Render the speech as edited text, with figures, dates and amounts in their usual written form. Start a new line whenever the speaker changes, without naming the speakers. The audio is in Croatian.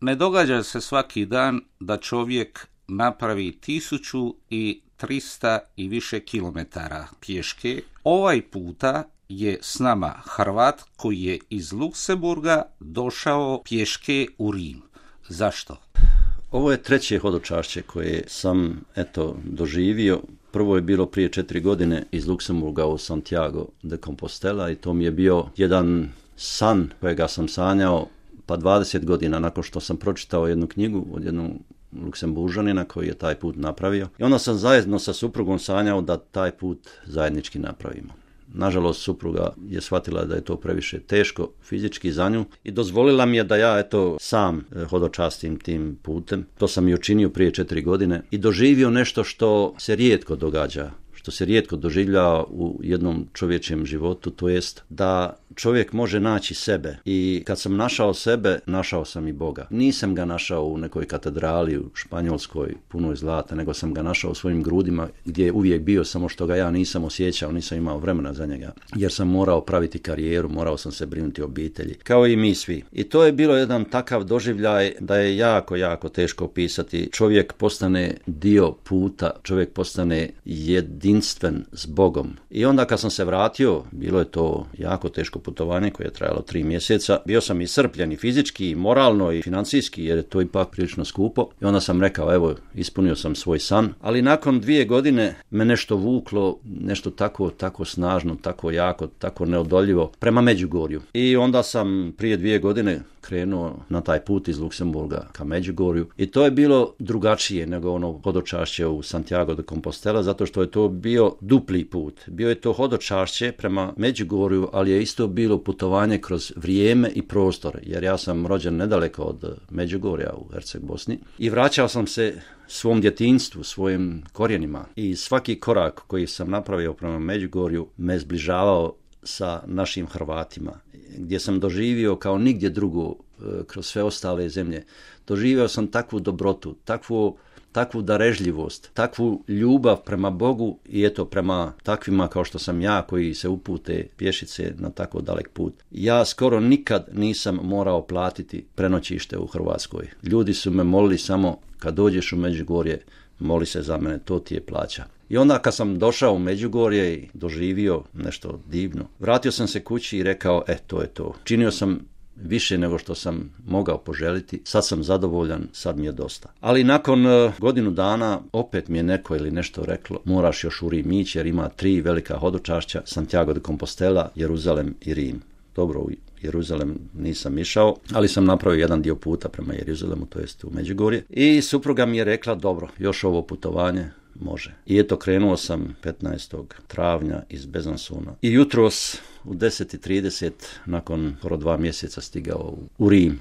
Ne događa se svaki dan da čovjek napravi 1300 i više kilometara pješke. Ovaj puta je s nama Hrvat koji je iz Luksemburga došao pješke u Rim. Zašto?
Ovo je treće hodočašće koje sam doživio. Prvo je bilo prije 4 godine iz Luksemburga u Santiago de Compostela i to mi je bio jedan san kojega sam sanjao pa 20 godina nakon što sam pročitao jednu knjigu od jednog Luksemburžanina koji je taj put napravio. I onda sam zajedno sa suprugom sanjao da taj put zajednički napravimo. Nažalost, supruga je shvatila da je to previše teško fizički za nju i dozvolila mi je da ja sam hodočastim tim putem. To sam i učinio prije 4 godine i doživio nešto što se rijetko događa, što se rijetko doživljava u jednom čovječjem životu, to jest da čovjek može naći sebe. I kad sam našao sebe, našao sam i Boga. Nisam ga našao u nekoj katedrali u Španjolskoj punoj zlata, nego sam ga našao u svojim grudima gdje je uvijek bio, samo što ga ja nisam osjećao, nisam imao vremena za njega. Jer sam morao praviti karijeru, morao sam se brinuti o obitelji, kao i mi svi. I to je bilo jedan takav doživljaj da je jako, jako teško opisati. Čovjek postane dio puta, čovjek postane jedinstven s Bogom. I onda kad sam se vratio, bilo je to jako teško putovanje koje je trajalo 3 mjeseca. Bio sam iscrpljen i fizički, i moralno, i financijski, jer je to ipak prilično skupo. I onda sam rekao, evo, ispunio sam svoj san. Ali nakon 2 godine me nešto vuklo, nešto tako snažno, tako jako, tako neodoljivo, prema Međugorju. I onda sam prije 2 godine krenuo na taj put iz Luksemburga ka Međugorju. I to je bilo drugačije nego ono hodočašće u Santiago de Compostela, zato što je to bio dupli put. Bio je to hodočašće prema Međugorju, ali je isto bilo putovanje kroz vrijeme i prostor, jer ja sam rođen nedaleko od Međugorja u Herceg Bosni i vraćao sam se svom djetinjstvu, svojim korijenima i svaki korak koji sam napravio prema Međugorju me zbližavao sa našim Hrvatima, gdje sam doživio kao nigdje drugo kroz sve ostale zemlje. Doživio sam takvu dobrotu, takvu darežljivost, takvu ljubav prema Bogu i prema takvima kao što sam ja koji se upute pješice na tako dalek put. Ja skoro nikad nisam morao platiti prenoćište u Hrvatskoj. Ljudi su me molili samo kad dođeš u Međugorje, moli se za mene, to ti je plaća. I onda kad sam došao u Međugorje i doživio nešto divno, vratio sam se kući i rekao, to je to. Činio sam više nego što sam mogao poželiti, sad sam zadovoljan, sad mi je dosta. Ali nakon godinu dana opet mi je neko ili nešto reklo, moraš još u Rim ići jer ima 3 velika hodočašća, Santiago de Compostela, Jeruzalem i Rim. Dobro, u Jeruzalem nisam išao, ali sam napravio jedan dio puta prema Jeruzalemu, to jest u Međugorje. I supruga mi je rekla, dobro, još ovo putovanje može. I krenuo sam 15. travnja iz Bezansona. I jutros u 10:30 nakon skoro 2 mjeseca stigao u Rim.